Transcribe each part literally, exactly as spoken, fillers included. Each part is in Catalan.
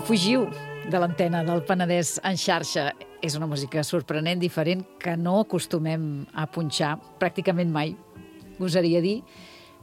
fugiu de l'antena del Penedès en xarxa. És una música sorprenent, diferent, que no acostumem a punxar pràcticament mai, gosaria dir.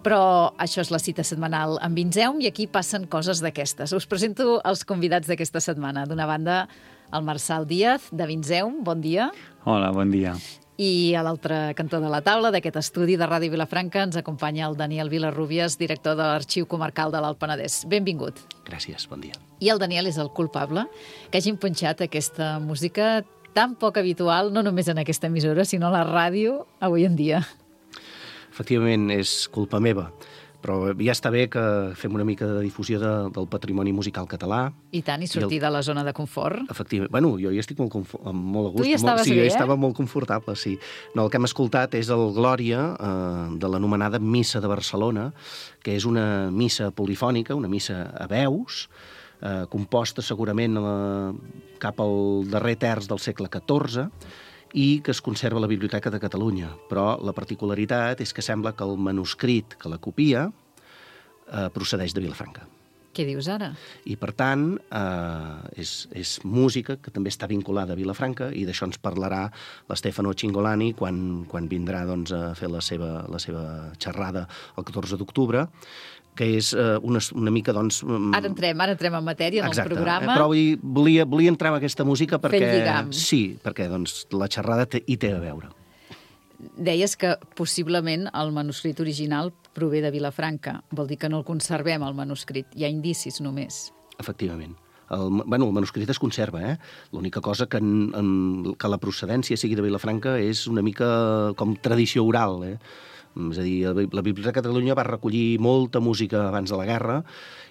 Però això és la cita setmanal amb Vinzeum i aquí passen coses d'aquestes. Us presento els convidats d'aquesta setmana. D'una banda, el Marçal Díaz, de Vinzeum. Bon dia. Hola, bon dia. I a l'altre cantó de la taula d'aquest estudi de Ràdio Vilafranca ens acompanya el Daniel Vilarrubias, director de l'Arxiu Comarcal de l'Alt Penedès. Benvingut. Gràcies, bon dia. I el Daniel és el culpable que hagin punxat aquesta música tan poc habitual, no només en aquesta emissora, sinó a la ràdio avui en dia. Efectivament, és culpa meva, però ja està bé que fem una mica de difusió de, del patrimoni musical català. I tant, i sortir I el... de la zona de confort. Efectivament. Bueno, jo hi estic molt, confo... molt a gust. Tu hi estaves molt... sí, bé, jo eh? estava molt confortable, sí. No, el que hem escoltat és el Glòria eh, de l'anomenada Missa de Barcelona, que és una missa polifònica, una missa a veus, eh, composta segurament a la... cap al darrer terç del segle catorze, i que es conserva a la Biblioteca de Catalunya. Però la particularitat és que sembla que el manuscrit que la copia eh, procedeix de Vilafranca. Què dius ara? I, per tant, eh, és, és música que també està vinculada a Vilafranca i d'això ens parlarà l'Stefano Cingolani quan, quan vindrà doncs, a fer la seva, la seva xerrada el catorze d'octubre, que és eh, una, una mica, doncs... Ara entrem, ara entrem en matèria, en exacte, el programa. Eh, però vull, volia, volia entrar en aquesta música perquè... Fent lligam. Sí, perquè doncs, la xerrada té, hi té a veure. Deies que possiblement el manuscrit original prové de Vilafranca. Vol dir que no el conservem, el manuscrit. Hi ha indicis només. Efectivament. El, bueno, el manuscrit es conserva, eh? L'única cosa que, en, en, que la procedència sigui de Vilafranca és una mica com tradició oral, eh? És a dir, la Biblioteca de Catalunya va recollir molta música abans de la guerra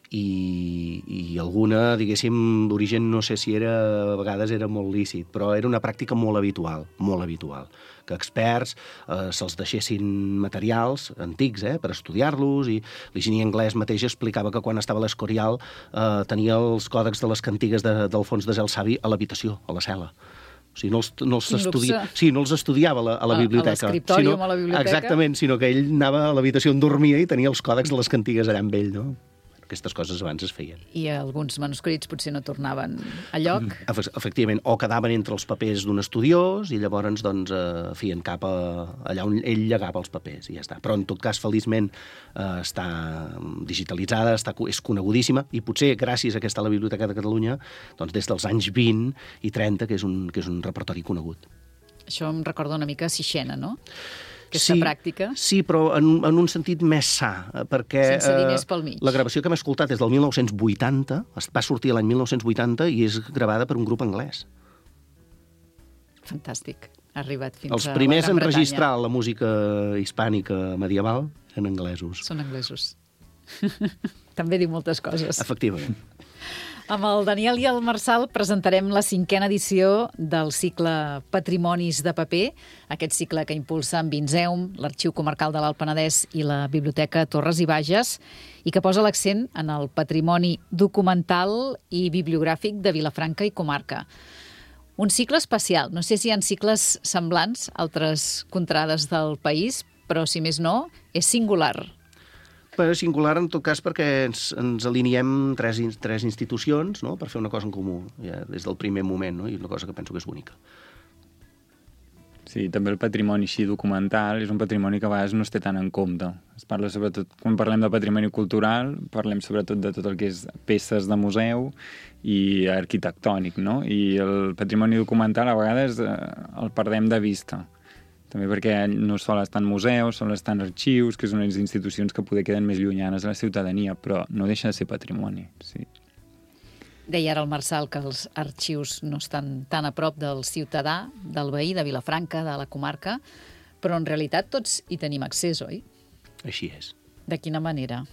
i, i alguna, diguéssim, d'origen no sé si era, a vegades era molt lícit, però era una pràctica molt habitual, molt habitual, que experts eh, se'ls deixessin materials antics eh, per estudiar-los, i l'Higini Anglès mateix explicava que quan estava a l'Escorial eh, tenia els còdex de les cantigues de, d'Alfons de Gelsavi a l'habitació, a la cel·la. O sigui, no els, no els, estudia... sí, no els estudiava a la, a la biblioteca. A l'escriptòrium, sinó... a la biblioteca. Exactament, sinó que ell anava a l'habitació on dormia i tenia els còdecs de les cantigues allà amb ell, no? Aquestes coses abans es feien. I alguns manuscrits potser no tornaven a lloc. Efectivament, o quedaven entre els papers d'un estudiós i llavors doncs, eh, feien cap a allà on ell llegava els papers i ja està. Però en tot cas, feliçment, eh, està digitalitzada, està, és conegudíssima i potser gràcies a que està a la Biblioteca de Catalunya doncs, des dels anys vint i trenta, que és un, que és un repertori conegut. Això em recorda una mica Sixena, no? Aquesta sí, pràctica. Sí, però en, en un sentit més sa, perquè sense diners pel mig. Eh, la gravació que hem escoltat és del mil nou-cents vuitanta, va sortir l'any mil nou-cents vuitanta i és gravada per un grup anglès. Fantàstic. Ha arribat fins Els a primers la Gran en Bretanya. registrar la música hispànica medieval eren anglesos. Són anglesos. També diu moltes coses. Efectivament. Amb el Daniel i el Marçal presentarem la cinquena edició del cicle Patrimonis de Paper, aquest cicle que impulsa en Vinzeum, l'Arxiu Comarcal de l'Alt Penedès i la Biblioteca Torres i Bages, i que posa l'accent en el patrimoni documental i bibliogràfic de Vilafranca i comarca. Un cicle especial. No sé si hi ha cicles semblants a altres contrades del país, però, si més no, és singular. Però singular, en tot cas, perquè ens, ens aliniem tres, tres institucions, no?, per fer una cosa en comú, ja, des del primer moment, no?, i una cosa que penso que és bonica. Sí, també el patrimoni així documental és un patrimoni que a vegades no es té tant en compte. Es parla sobretot, quan parlem de patrimoni cultural, parlem sobretot de tot el que és peces de museu i arquitectònic, no? I el patrimoni documental a vegades eh, el perdem de vista. També perquè no sol estar en museus, sol estar en arxius, que són unes institucions que poder queden més llunyanes a la ciutadania, però no deixa de ser patrimoni, sí. Deia ara el Marçal que els arxius no estan tan a prop del ciutadà, del veí, de Vilafranca, de la comarca, però en realitat tots hi tenim accés, oi? Així és. De quina manera?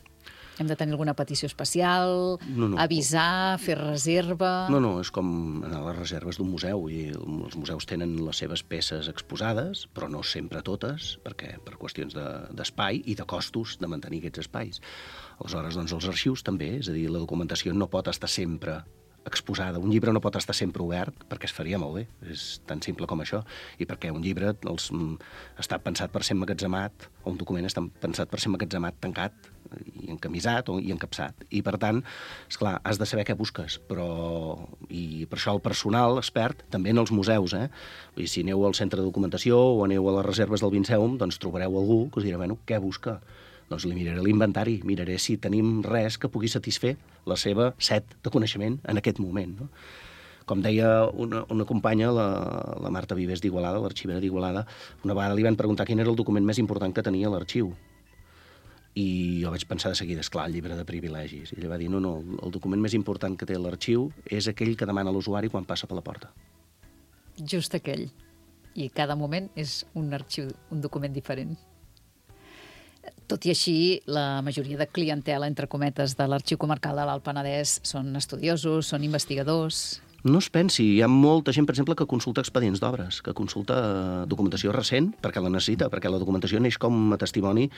Hem de tenir alguna petició especial, no, no. avisar, fer reserva... No, no, és com anar a les reserves d'un museu. I els museus tenen les seves peces exposades, però no sempre totes, perquè per qüestions de, d'espai i de costos de mantenir aquests espais. Aleshores, doncs, els arxius també, és a dir, la documentació no pot estar sempre exposada. Un llibre no pot estar sempre obert perquè es faria molt bé, és tan simple com això, i perquè un llibre els, està pensat per ser emmagatzemat, o un document està pensat per ser emmagatzemat tancat, i encamisat o, i encapsat. I, per tant, esclar, has de saber què busques, però i per això el personal expert, també en els museus, eh? I si aneu al centre de documentació o aneu a les reserves del Vinceum, doncs trobareu algú que us dirà, bueno, què busca? Doncs li miraré l'inventari, miraré si tenim res que pugui satisfer la seva set de coneixement en aquest moment, no? Com deia una, una companya, la, la Marta Vives d'Igualada, l'arxivera d'Igualada, una vegada li van preguntar quin era el document més important que tenia l'arxiu. I jo vaig pensar de seguida, esclar, el llibre de privilegis. I ella va dir, no, no, el document més important que té l'arxiu és aquell que demana l'usuari quan passa per la porta. Just aquell. I cada moment és un arxiu, un document diferent. Tot i així, la majoria de clientela, entre cometes, de l'Arxiu Comarcal de l'Alt Penedès són estudiosos, són investigadors. No es pensi, hi ha molta gent, per exemple, que consulta expedients d'obres, que consulta documentació recent perquè la necessita, perquè la documentació neix com a testimoni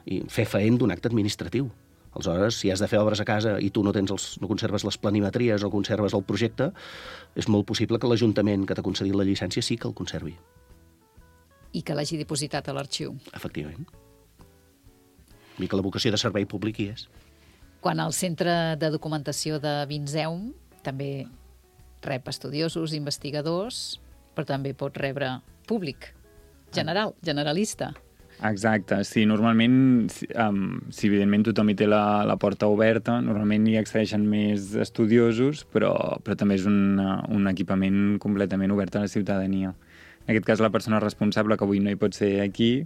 i fer feent d'un acte administratiu. Aleshores, si has de fer obres a casa i tu no tens els, no conserves les planimetries o conserves el projecte, és molt possible que l'Ajuntament que t'ha concedit la llicència sí que el conservi. I que l'hagi dipositat a l'arxiu. Efectivament. I que la vocació de servei públic hi és. Quan el Centre de Documentació de Vinceum també rep estudiosos, investigadors, però també pot rebre públic, general, generalista. Exacte, sí, normalment, si, um, si evidentment tothom hi té la, la porta oberta, normalment hi accedeixen més estudiosos, però, però també és un, un equipament completament obert a la ciutadania. En aquest cas, la persona responsable, que avui no hi pot ser aquí,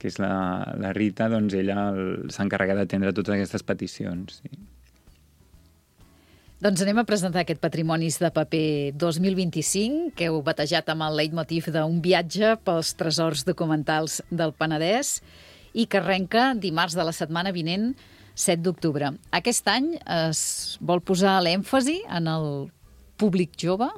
que és la, la Rita, doncs ella s'encarrega d'atendre totes aquestes peticions, sí. Doncs anem a presentar aquest Patrimonis de Paper dos mil vint-i-cinc, que heu batejat amb el leitmotiv d'un viatge pels tresors documentals del Penedès i que arrenca dimarts de la setmana vinent, set d'octubre. Aquest any es vol posar l'èmfasi en el públic jove?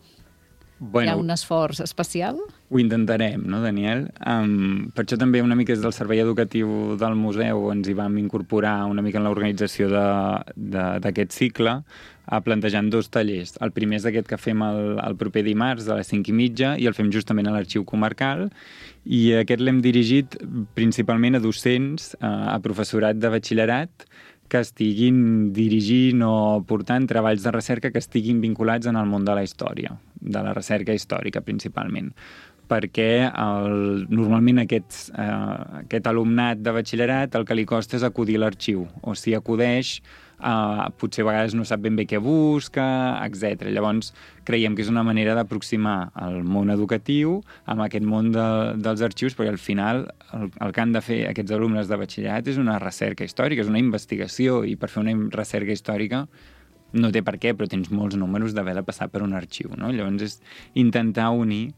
Bueno, hi ha un esforç especial? Ho intentarem, no, Daniel? Um, per això també una mica des del servei educatiu del museu ens hi vam incorporar una mica en l'organització d'aquest cicle, a plantejant dos tallers. El primer és aquest que fem el, el proper dimarts a les cinc i mitja i el fem justament a l'Arxiu Comarcal, i aquest l'hem dirigit principalment a docents, a professorat de batxillerat, que estiguin dirigint o portant treballs de recerca que estiguin vinculats en el món de la història, de la recerca històrica principalment, perquè el, normalment aquests, eh, aquest alumnat de batxillerat el que li costa és acudir a l'arxiu, o si acudeix Uh, potser a vegades no sap ben bé què busca, etcètera. Llavors, creiem que és una manera d'aproximar el món educatiu amb aquest món de, dels arxius, perquè al final el, el que han de fer aquests alumnes de batxillerat és una recerca històrica, és una investigació, i per fer una recerca històrica no té per què, però tens molts números d'haver de passar per un arxiu, no? Llavors és intentar unir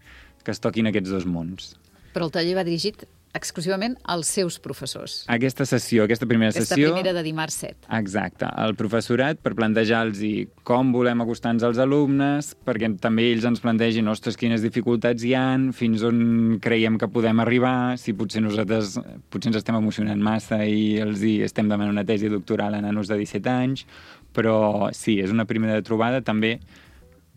que es toquin aquests dos mons. Però el taller va dirigit exclusivament als seus professors. Aquesta sessió, aquesta primera aquesta sessió... Aquesta primera de dimarts set. Exacte. El professorat, per plantejar-los com volem acostar-nos als alumnes, perquè també ells ens plantegin, ostres, quines dificultats hi han, fins on creiem que podem arribar, si potser nosaltres potser ens estem emocionant massa i els hi estem demanant una tesi doctoral a nanos de disset anys, però sí, és una primera trobada també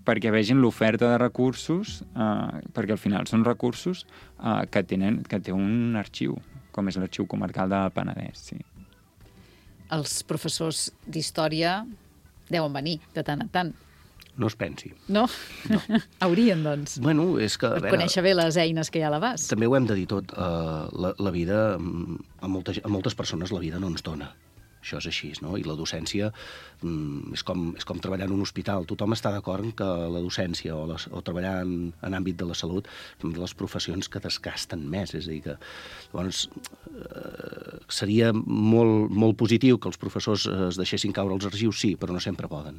perquè vegin l'oferta de recursos, eh, perquè al final són recursos eh, que, tenen, que té un arxiu, com és l'Arxiu Comarcal del Penedès, sí. Els professors d'història deuen venir de tant en tant. No es pensi. No? No. Haurien, doncs. Bueno, és que... Per veure, conèixer bé les eines que hi ha a l'abast. També ho hem de dir tot. Uh, la, la vida, a, molta, a moltes persones la vida no ens dona. Això és així, no? I la docència mm, és, com, és com treballar en un hospital. Tothom està d'acord que la docència o, les, o treballar en, en àmbit de la salut són de les professions que desgasten més. És a dir, que llavors eh, seria molt, molt positiu que els professors es deixessin caure als arxius, sí, però no sempre poden.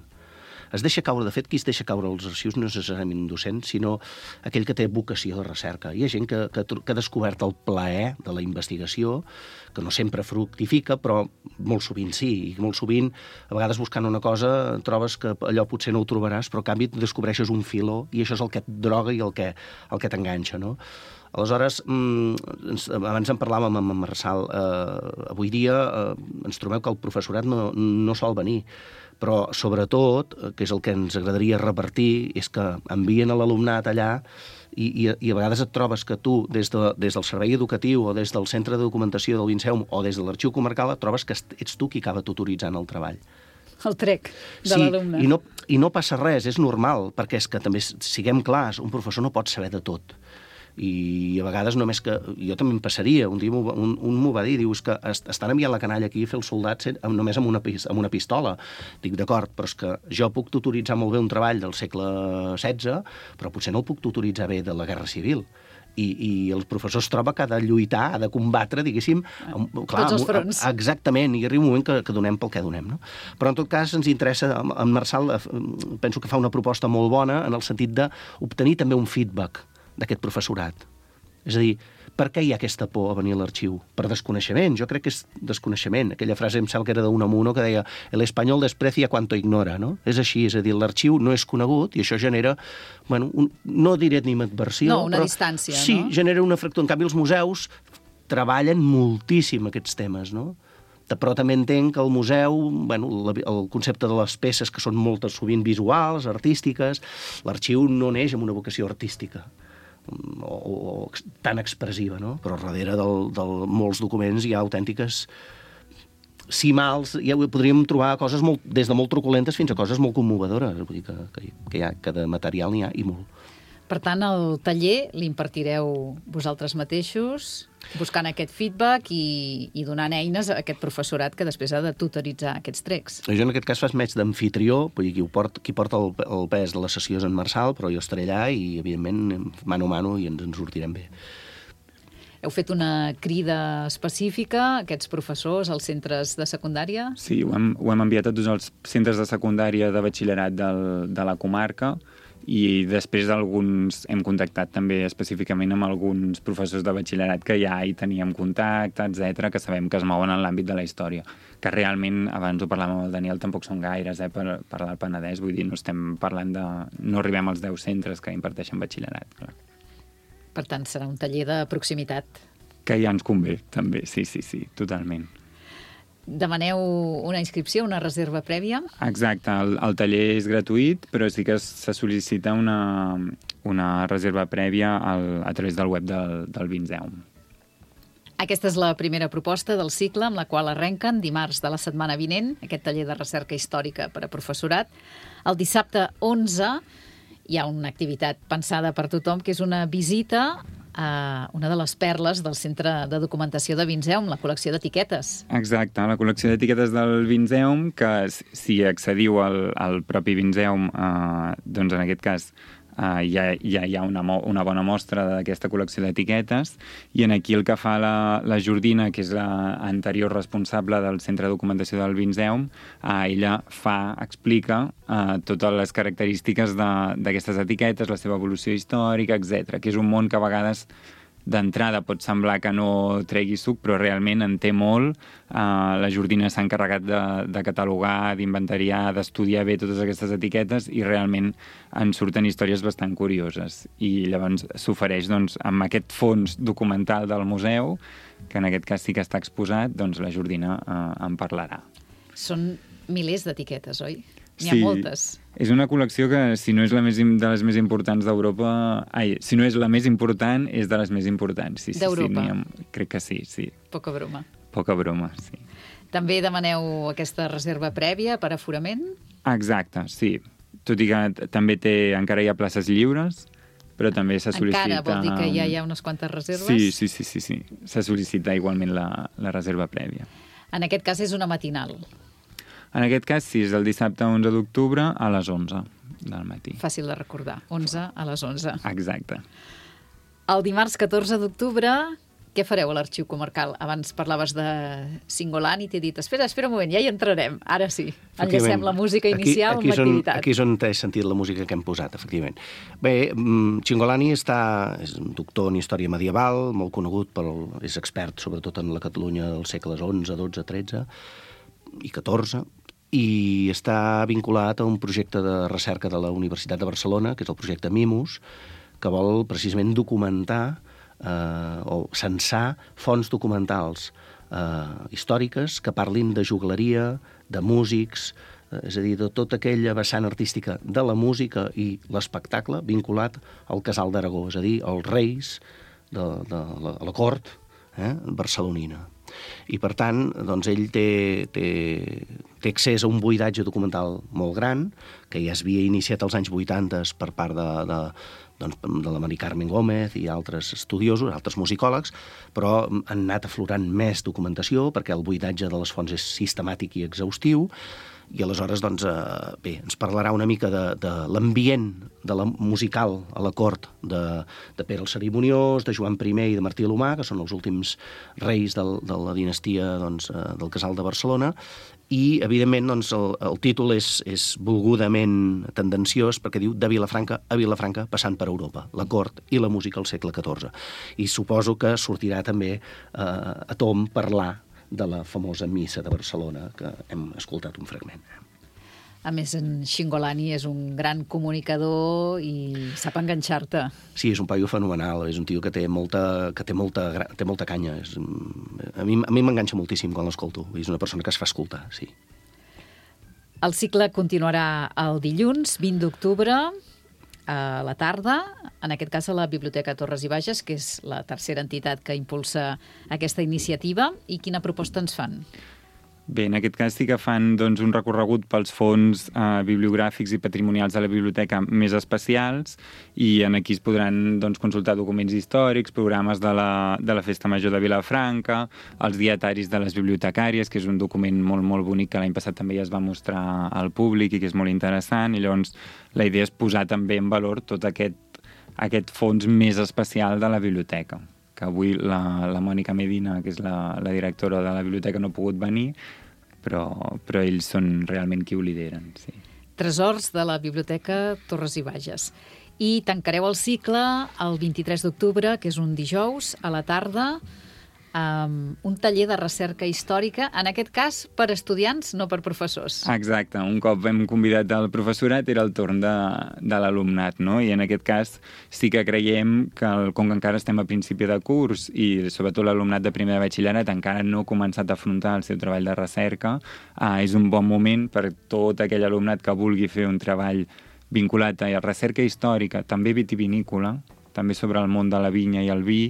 Es deixa caure, de fet, qui es deixa caure als arxius no és necessàriament un docent, sinó aquell que té vocació de recerca. Hi ha gent que, que, que ha descobert el plaer de la investigació, que no sempre fructifica, però molt sovint sí, i molt sovint, a vegades buscant una cosa, trobes que allò potser no ho trobaràs, però a canvi descobreixes un filó, i això és el que et droga i el que, el que t'enganxa, no? Aleshores, ens, abans en parlàvem amb en Marçal, eh, avui dia eh, ens trobem que el professorat no, no sol venir, però sobretot, que és el que ens agradaria repartir, és que envien a l'alumnat allà i, i, i a vegades et trobes que tu, des, de, des del servei educatiu o des del centre de documentació del Vinceum o des de l'arxiu comarcal, et trobes que ets tu qui acaba tutoritzant el treball. El trec de sí, l'alumne. I no, i no passa res, és normal, perquè és que també, siguem clars, un professor no pot saber de tot. I a vegades només que... Jo també em passaria, un dia un, un m'ho va dir, diu, és que estan enviant la canalla aquí a fer el soldat només amb una, amb una pistola. Dic, d'acord, però és que jo puc tutoritzar molt bé un treball del segle setze, però potser no el puc tutoritzar bé de la Guerra Civil. I, i el professor es troba que ha de lluitar, ha de combatre, diguéssim... Clar, tots els fronts. Exactament, i arriba un moment que, que donem pel que donem, no? Però en tot cas ens interessa, en Marçal penso que fa una proposta molt bona en el sentit d'obtenir també un feedback d'aquest professorat. És a dir, per què hi ha aquesta por a venir a l'arxiu? Per desconeixement, jo crec que és desconeixement. Aquella frase em sembla que era d'Unamuno que deia el espanyol desprecia cuanto ignora, no? És així, és a dir, l'arxiu no és conegut i això genera, bueno, un, no diré animadversió, no, una però distància, sí, no? genera una fractura. En canvi, els museus treballen moltíssim aquests temes, no? Però també entenc que el museu, bueno, el concepte de les peces que són moltes sovint visuals, artístiques, l'arxiu no neix amb una vocació artística o, o tan expressiva, no? Però darrere del, del molts documents hi ha autèntiques cimals, ja podríem trobar coses molt, des de molt truculentes fins a coses molt commovedores, vull dir que, que, que, hi ha, que de material n'hi ha i molt. Per tant, el taller l'impartireu vosaltres mateixos, buscant aquest feedback i, i donant eines a aquest professorat que després ha de tutoritzar aquests trecs. Jo en aquest cas faig més d'amfitrió, vull dir, qui, port, qui porta el, el pes de les sessions en Marçal, però jo estaré allà i, evidentment, mano a mano i ens en sortirem bé. Heu fet una crida específica a aquests professors als centres de secundària? Sí, ho hem, ho hem enviat a tots els centres de secundària de batxillerat del, de la comarca i després alguns hem contactat també específicament amb alguns professors de batxillerat que ja hi teníem contacte, etcètera, que sabem que es mouen en l'àmbit de la història. Que realment, abans ho parlàvem amb el Daniel, tampoc són gaires eh, per, per l'Alt Penedès, vull dir, no estem parlant de... no arribem als deu centres que imparteixen batxillerat, clar. Per tant, serà un taller de proximitat. Que ja ens convé, també, sí, sí, sí, totalment. Demaneu una inscripció, una reserva prèvia? Exacte, el, el taller és gratuït, però sí que se sol·licita una, una reserva prèvia al, a través del web del, del Vinceum. Aquesta és la primera proposta del cicle amb la qual arrenquen dimarts de la setmana vinent, aquest taller de recerca històrica per a professorat. El dissabte onze hi ha una activitat pensada per tothom, que és una visita a una de les perles del Centre de Documentació de Vinceum, la col·lecció d'etiquetes. Exacte, la col·lecció d'etiquetes del Vinceum, que si accediu al, al propi Vinceum, eh, doncs en aquest cas Uh, ja, ja hi ha una, una bona mostra d'aquesta col·lecció d'etiquetes i en aquí el que fa la, la Jordina, que és l'anterior responsable del Centre de Documentació del Vinceum, uh, ella fa, explica uh, totes les característiques d'aquestes etiquetes, la seva evolució històrica, etcètera, que és un món que a vegades d'entrada pot semblar que no tregui suc, però realment en té molt. Uh, la Jordina s'ha encarregat de, de catalogar, d'inventariar, d'estudiar bé totes aquestes etiquetes i realment en surten històries bastant curioses. I llavors s'ofereix, doncs, amb aquest fons documental del museu, que en aquest cas sí que està exposat, doncs la Jordina uh, en parlarà. Són milers d'etiquetes, oi? N'hi ha sí, moltes. És una col·lecció que, si no és la més, de les més importants d'Europa... Ai, si no és la més important, és de les més importants. Sí, sí, d'Europa? Sí, ha, crec que sí, sí. Poca broma. Poca broma, sí. També demaneu aquesta reserva prèvia per aforament? Exacte, sí. Tot i que també té, encara hi ha places lliures, però també se sol·licita... Encara vol dir que ja hi ha unes quantes reserves? Sí, sí, sí, sí, sí. Se sol·licita igualment la, la reserva prèvia. En aquest cas és una matinal. En aquest cas, sí, és el dissabte onze d'octubre a les onze del matí. Fàcil de recordar, onze a les onze. Exacte. El dimarts catorze d'octubre, què fareu a l'Arxiu Comarcal? Abans parlaves de Singolani i t'he dit, espera, espera un moment, ja hi entrarem. Ara sí, enllacem la música inicial aquí, aquí amb l'activitat. Aquí és on he sentit la música que hem posat, efectivament. Bé, Singolani està, és un doctor en història medieval, molt conegut, pel, és expert sobretot en la Catalunya dels segles onze, dotze, tretze i catorze, i està vinculat a un projecte de recerca de la Universitat de Barcelona, que és el projecte MIMUS, que vol precisament documentar eh, o censar fonts documentals eh, històriques que parlin de jugleria, de músics, eh, és a dir, de tota aquella vessant artística de la música i l'espectacle vinculat al Casal d'Aragó, és a dir, els reis de, de la, la cort eh, barcelonina. I, per tant, doncs, ell té, té, té accés a un buidatge documental molt gran, que ja es havia iniciat als anys vuitanta per part de, de, doncs, de la Mari Carmen Gómez i altres estudiosos, altres musicòlegs, però han anat aflorant més documentació perquè el buidatge de les fonts és sistemàtic i exhaustiu, i aleshores, doncs, eh, bé, ens parlarà una mica de, de l'ambient de la musical a la cort de, de Pere el Cerimoniós, de Joan primer i de Martí l'Humà, que són els últims reis del, de la dinastia doncs, eh, del Casal de Barcelona, i, evidentment, doncs, el, el títol és, és volgudament tendenciós perquè diu de Vilafranca a Vilafranca passant per Europa, la cort i la música al segle catorze. I suposo que sortirà també eh, a tom parlar de la famosa missa de Barcelona, que hem escoltat un fragment. A més, en Xingolani és un gran comunicador i sap enganxar-te. Sí, és un paio fenomenal, és un tio que té molta, que té molta, té molta canya. És, a mi a mi m'enganxa moltíssim quan l'escolto, és una persona que es fa escoltar, sí. El cicle continuarà el dilluns, vint d'octubre, a la tarda, en aquest cas a la Biblioteca Torres i Bages, que és la tercera entitat que impulsa aquesta iniciativa. I quina proposta ens fan? Bé, en aquest cas sí que fan doncs, un recorregut pels fons eh, bibliogràfics i patrimonials de la biblioteca més especials, i en aquí es podran doncs, consultar documents històrics, programes de la, de la Festa Major de Vilafranca, els dietaris de les bibliotecàries, que és un document molt, molt bonic que l'any passat també ja es va mostrar al públic i que és molt interessant, i llavors la idea és posar també en valor tot aquest, aquest fons més especial de la biblioteca, que avui la, la Mònica Medina, que és la, la directora de la biblioteca, no ha pogut venir, però, però ells són realment qui ho lideren. Sí. Tresors de la Biblioteca Torres i Bages. I tancareu el cicle el vint-i-tres d'octubre, que és un dijous, a la tarda, amb un taller de recerca històrica, en aquest cas per estudiants, no per professors. Exacte, un cop hem convidat el professorat era el torn de, de l'alumnat, no? I en aquest cas sí que creiem que, el, com que encara estem a principi de curs i sobretot l'alumnat de primer de batxillerat encara no ha començat a afrontar el seu treball de recerca, eh, és un bon moment per tot aquell alumnat que vulgui fer un treball vinculat a la recerca històrica, també vitivinícola, també sobre el món de la vinya i el vi,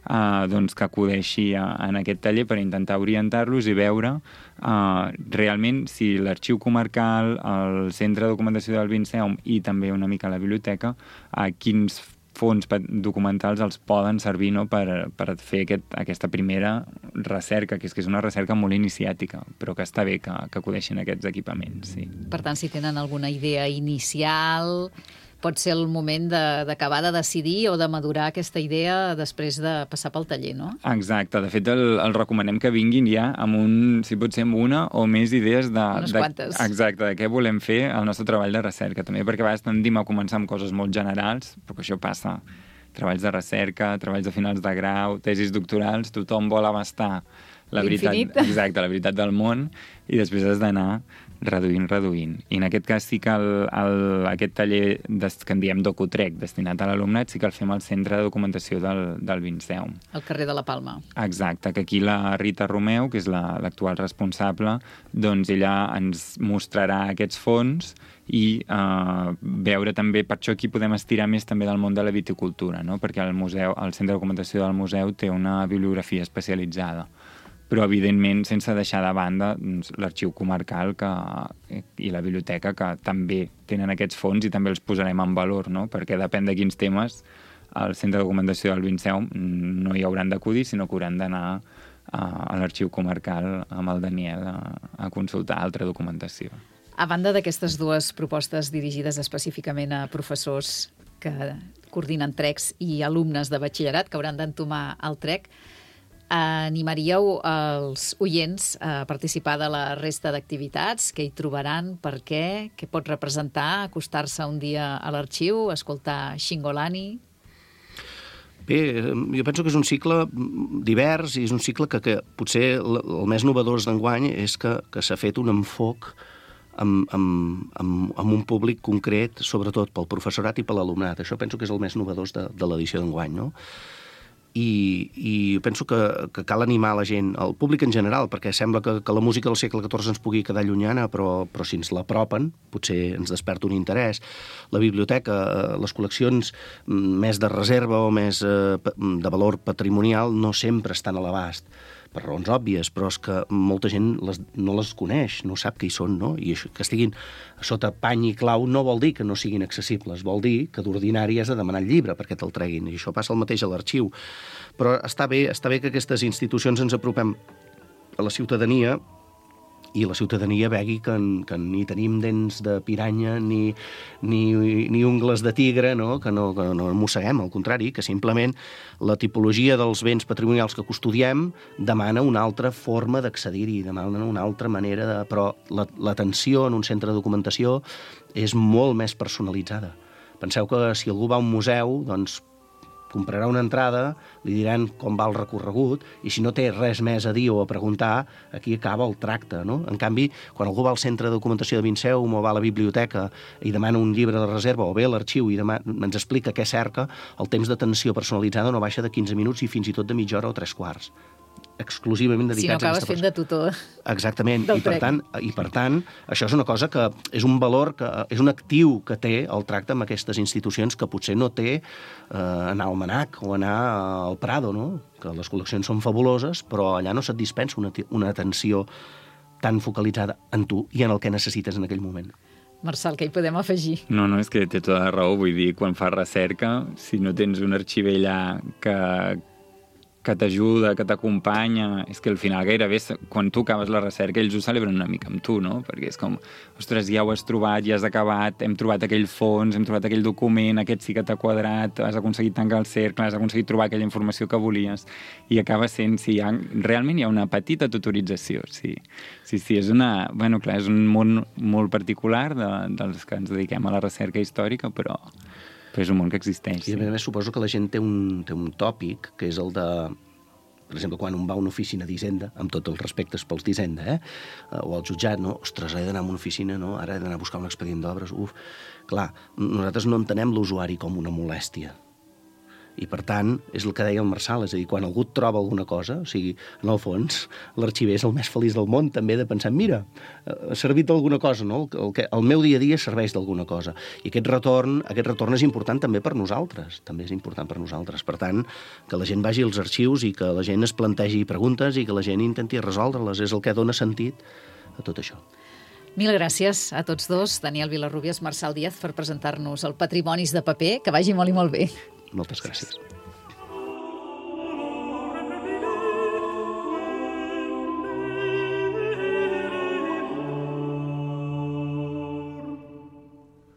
Uh, doncs que acudeixi a, en aquest taller per intentar orientar-los i veure uh, realment si l'arxiu comarcal, el centre de documentació del Vinceum i també una mica la biblioteca, uh, quins fons documentals els poden servir, no, per, per fer aquest, aquesta primera recerca, que és que és una recerca molt iniciàtica, però que està bé que, que acudeixin a aquests equipaments. Sí. Per tant, si tenen alguna idea inicial, pot ser el moment d'acabar de, de decidir o de madurar aquesta idea després de passar pel taller, no? Exacte. De fet, el, el recomanem que vinguin ja amb un, si pot ser amb una o més idees de... Unes de, quantes. Exacte, de què volem fer al nostre treball de recerca. També perquè a vegades tendim a començar amb coses molt generals, però que això passa. Treballs de recerca, treballs de finals de grau, tesis doctorals, tothom vol abastar la veritat, exacte, la veritat del món, i després has d'anar reduint, reduint. I en aquest cas sí que el, el, aquest taller des, que en diem Docutrec, destinat a l'alumnat, sí que el fem al centre de documentació del, del Vinceum. Al carrer de la Palma. Exacte, que aquí la Rita Romeu, que és l'actual la, responsable, doncs ella ens mostrarà aquests fons i eh, veure també, per això aquí podem estirar més també del món de la viticultura, no? Perquè el, museu, el centre de documentació del museu té una bibliografia especialitzada, però evidentment sense deixar de banda doncs, l'arxiu comarcal que, i la biblioteca, que també tenen aquests fons i també els posarem en valor, no? Perquè depèn de quins temes al centre de documentació del Vinceum no hi hauran d'acudir, sinó que hauran d'anar a, a l'arxiu comarcal amb el Daniel a, a consultar altra documentació. A banda d'aquestes dues propostes dirigides específicament a professors que coordinen trecs i alumnes de batxillerat que hauran d'entomar el trec, animaríeu els oients a participar de la resta d'activitats que hi trobaran, per què, què pot representar, acostar-se un dia a l'arxiu, escoltar Xingolani? Bé, jo penso que és un cicle divers i és un cicle que, que potser el, el més novedós d'enguany és que, que s'ha fet un enfoc amb, amb, amb, amb un públic concret, sobretot pel professorat i per l'alumnat. Això penso que és el més novedós de, de l'edició d'enguany, no? i, i penso que, que cal animar la gent, el públic en general, perquè sembla que, que la música del segle catorze ens pugui quedar llunyana, però, però si ens l'apropen, potser ens desperta un interès. La biblioteca, les col·leccions més de reserva o més eh, de valor patrimonial no sempre estan a l'abast, per raons òbvies, però és que molta gent les, no les coneix, no sap que hi són, no? I això, que estiguin sota pany i clau no vol dir que no siguin accessibles, vol dir que d'ordinari has de demanar el llibre perquè te'l treguin, i això passa el mateix a l'arxiu. Però està bé, està bé que aquestes institucions ens apropem a la ciutadania i la ciutadania vegi que, que ni tenim dents de piranya ni, ni, ni ungles de tigre, no? Que no, que no mosseguem, al contrari, que simplement la tipologia dels béns patrimonials que custodiem demana una altra forma d'accedir-hi, demana una altra manera de... Però l'atenció en un centre de documentació és molt més personalitzada. Penseu que si algú va a un museu, doncs comprarà una entrada, li diran com va el recorregut, i si no té res més a dir o a preguntar, aquí acaba el tracte, no? En canvi, quan algú va al centre de documentació de Vinceum o va a la biblioteca i demana un llibre de reserva, o ve a l'arxiu i demana, ens explica què cerca, el temps d'atenció personalitzada no baixa de quinze minuts i fins i tot de mitja hora o tres quarts. Exclusivament dedicats si no acabes a aquesta fent de tutor. Exactament, i per, tant, i per tant, això és una cosa que és un valor, que és un actiu que té el tracte amb aquestes institucions que potser no té eh, anar al Manac o anar al Prado, no? Que les col·leccions són fabuloses, però allà no se't dispensa una, una atenció tan focalitzada en tu i en el que necessites en aquell moment. Marçal, què hi podem afegir? No, no, és que té tota la raó. Vull dir, quan fas recerca, si no tens un arxiver allà que que t'ajuda, que t'acompanya, és que al final gairebé, quan tu acabes la recerca, ells ho celebren una mica amb tu, no? Perquè és com, ostres, ja ho has trobat, ja has acabat, hem trobat aquell fons, hem trobat aquell document, aquest sí que t'ha quadrat, has aconseguit tancar el cercle, has aconseguit trobar aquella informació que volies, i acaba sent, sí, ha, realment hi ha una petita tutorització, sí. Sí, sí, és una... Bueno, clar, és un món molt particular de, dels que ens dediquem a la recerca històrica, però... però és un món que existeix. I a més, suposo que la gent té un, té un tòpic, que és el de, per exemple, quan un va a una oficina d'Hisenda, amb tots els respectes pels d'Hisenda, eh? o al jutjat, no? Ostres, he d'anar a una oficina, no? Ara he d'anar a buscar un expedient d'obres, uf. Clar, nosaltres no entenem l'usuari com una molèstia. I, per tant, és el que deia el Marçal, és a dir, quan algú et troba alguna cosa, o sigui, en el fons, l'arxiver és el més feliç del món, també, de pensar, mira, ha servit d'alguna cosa, no? El, que, el meu dia a dia serveix d'alguna cosa. I aquest retorn, aquest retorn és important també per nosaltres, també és important per nosaltres. Per tant, que la gent vagi als arxius i que la gent es plantegi preguntes i que la gent intenti resoldre-les, és el que dona sentit a tot això. Mil gràcies a tots dos, Daniel Vilarrubias, Marçal Díaz, per presentar-nos el Patrimonis de paper. Que vagi molt i molt bé. Moltes gràcies.